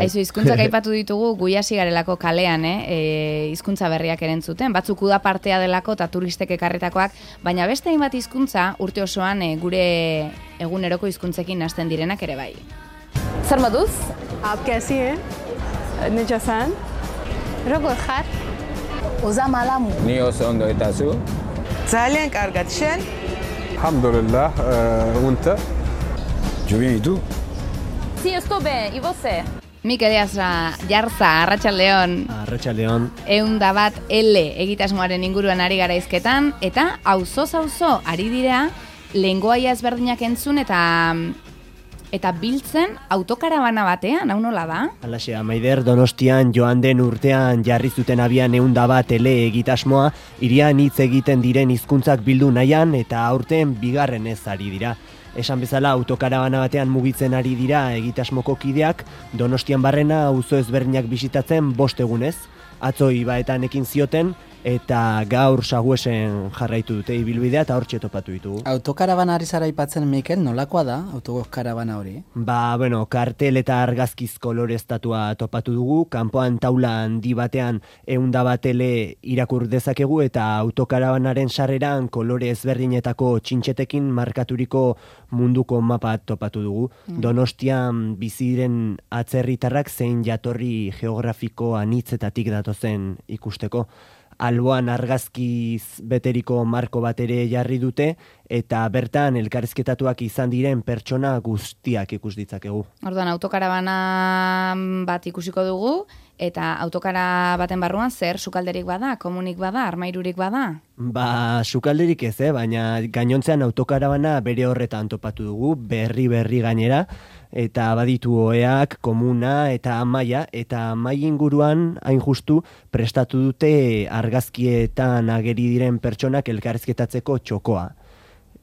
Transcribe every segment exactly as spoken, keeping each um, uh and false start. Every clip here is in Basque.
Aizu, hizkuntzak aipatu ditugu, gu hasi garelako kalean, eh? E, hizkuntza berriak erentzuten, batzuk uda partea delako eta turistek ekarritakoak, baina beste hainbat hizkuntza urte osoan e, gure eguneroko hizkuntzekin hasten direnak ere bai. Zer moduz? आप कैसी हैं? Necesen? Rogor jar? Oza malamu. Ni oso ondo eta zu? ძალიან კარგად, შენ? الحمد لله وانت Yo bien, ¿y tú? Sí, estoy bien. ¿Y você? Mikel Eazra, Jarza, Arratsaldeon. Arratsaldeon. Ehun da bat L egitasmoaren inguruan ari gara hizketan, eta auzoz-auzo ari dira lengoaia ezberdinak entzun eta eta biltzen autokarabana batean, hau nola da? Halaxe, Maider, Donostian joan den urtean jarri zuten abian ehun da bat L egitasmoa, hirian hitz egiten diren hizkuntzak bildu nahian eta aurten bigarren ez ari dira. Esan bezala autokarabana batean mugitzen ari dira egitasmoko kideak, Donostian barrena auzo ezberdinak bisitatzen bost egunez. Atzo Ibaetan ekin zioten eta gaur Saguesen jarraitu dute ibilbidea eta hortxe topatu ditugu. Autokarabana ari zara aipatzen, Mikel, nolakoa da autokarabana hori? Ba, bueno, kartel eta argazkiz koloreztatua topatu dugu, kanpoan taula handi batean ehun da bat L irakur dezakegu eta autokarabanaren sarreran kolore ezberdinetako txintxetekin markaturiko munduko mapa topatu dugu. Mm. Donostian bizi diren atzerritarrak zein jatorri geografiko anitzetatik datozen ikusteko. Alboan argazkiz beteriko marko bat ere jarri dute eta bertan elkarrizketatuak izan diren pertsona guztiak ikus ditzakegu. Orduan, autokarabana bat ikusiko dugu eta autokara baten barruan zer sukalderik bada, komunik bada, armairurik bada? Ba, sukalderik ez, eh? Baina gainontzean autokarabana bere horretan topatu dugu, berri-berri gainera, eta baditu oheak, komuna eta amaia, eta amai inguruan hain justu prestatu dute argazkietan ageri diren pertsonak elkarrizketatzeko txokoa.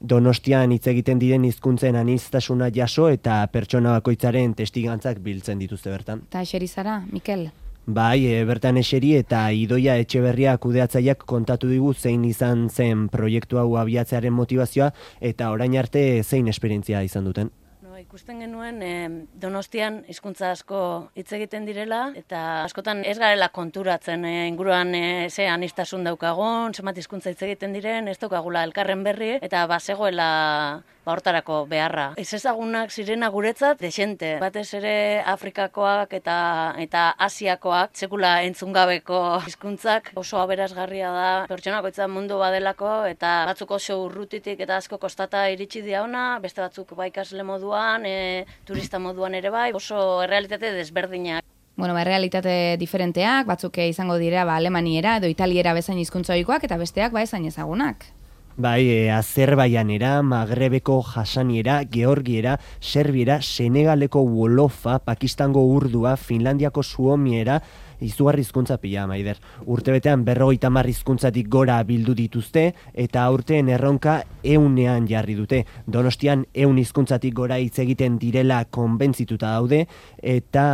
Donostian hitz egiten diren hizkuntzen aniztasuna jaso eta pertsona bakoitzaren testigantzak biltzen dituzte bertan. Eta eseri zara, Mikel? Bai, e, bertan eseri eta Idoia Etxeberria kudeatzaileak kontatu digu zein izan zen proiektu hau abiatzearen motivazioa eta orain arte zein esperientzia izan duten. Ikusten genuen eh, Donostian hizkuntza asko hitz egiten direla eta askotan ez garela konturatzen eh, inguruan eh, ze anistasun daukagun, zenbat hizkuntza hitz egiten diren, ez daukagula elkarren berri eta bazegoela ba hortarako beharra. Ez ezagunak zirena guretzat dexente, batez ere Afrikakoak eta eta Asiakoak, sekula entzungabeko hizkuntzak oso aberasgarria da. Pertsonakoitza mundu badelako eta batzuk oso urrutitik eta asko kostata iritsi dira ona, beste batzuk ba ikasle moduan, e, turista moduan ere bai, oso errealitate desberdinak. Bueno, ba, realitate diferenteak, batzuk izango dira ba, alemaniera edo italiera bezain hizkuntza ohikoak eta besteak ba ezain ezagunak. Bai, e, Azerbaianera, Magrebeko jasaniera, Georgiera, Serbiera, Senegaleko wolofa, Pakistango urdua, Finlandiako suomiera, izugarri hizkuntza pila, Maider. Urtebetean berrogeita hamar hizkuntzatik gora bildu dituzte eta aurten erronka ehunean jarri dute. Donostian ehun hizkuntzatik gora hitz egiten direla konbentzituta daude eta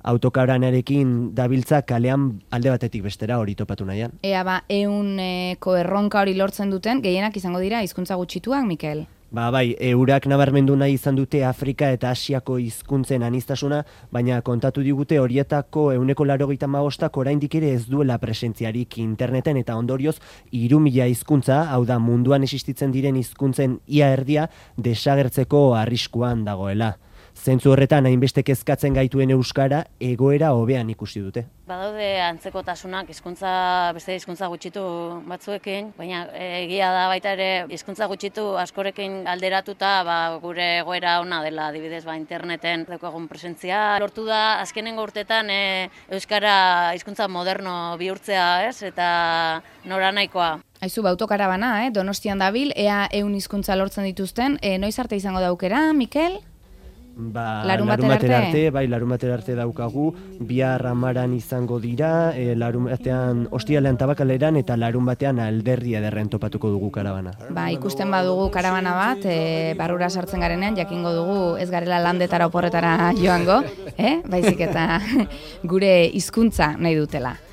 autokarabanarekin dabiltza kalean alde batetik bestera hori topatu nahian. Ea ba, ehuneko erronka hori lortzen duten, gehienak izango dira hizkuntza gutxituak, Mikel? Ba bai, eurak nabarmendu nahi izan dute Afrika eta Asiako hizkuntzen aniztasuna, baina kontatu digute horietako ehuneko laurogeita hamabostak oraindik ere ez duela presentziarik interneten eta ondorioz hiru mila hizkuntza, hau da munduan existitzen diren hizkuntzen ia erdia desagertzeko arriskuan dagoela. Zentzu horretan hainbeste kezkatzen gaituen euskara egoera hobean ikusi dute. Badaude antzekotasunak hizkuntza beste hizkuntza gutxitu batzuekin, baina egia da baita ere hizkuntza gutxitu askorekin alderatuta ba, gure egoera ona dela, adibidez ba interneten daukagun presentzia. Lortu da azkenengo urtetan e, euskara hizkuntza moderno bihurtzea, ez? Eta noranahikoa. Aizu, ba, autokarabana, eh? Donostian dabil, ea ehun hizkuntza lortzen dituzten, e, noiz arte izango da aukera, Mikel? Ba, larun larun batera batera arte? arte, bai, larun batera arte daukagu, bihar amaran izango dira, e, larun batean ostiralean tabakaleran eta larun batean alderri ederren topatuko dugu karabana. Ba, ikusten badugu karabana bat, e, barrura sartzen garenean, jakingo dugu ez garela landetara oporretara joango, eh? Baizik eta gure hizkuntza nahi dutela.